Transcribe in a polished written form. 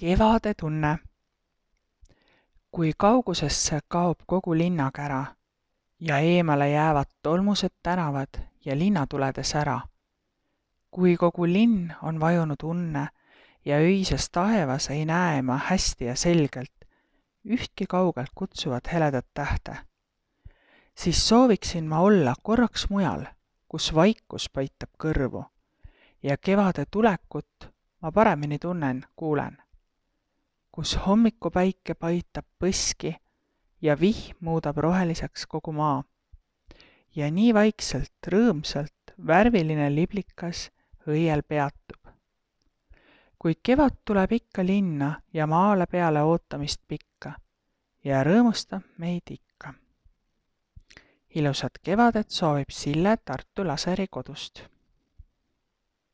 Kevade tunne. Kui kaugusesse kaob kogu linnakära ja eemale jäävad tolmused tänavad ja linnatulede sära. Kui kogu linn on vajunud unne ja öises taevas ei näe ma hästi ja selgelt ühtki kaugelt kutsuvat heledat tähte, siis sooviksin ma olla korraks mujal, kus vaikus paitab kõrvu ja kevade tulekut ma paremini tunnen, kuulen, kus hommikupäike paitab põski ja vihm muudab roheliseks kogu maa. Ja nii vaikselt, rõõmsalt, värviline liblikas õiel peatub. Kui kevad tuleb ikka linna ja maale peale ootamist pikka ja rõõmustab meid ikka. Ilusat kevadet soovib Sille Tartu Laseri kodust.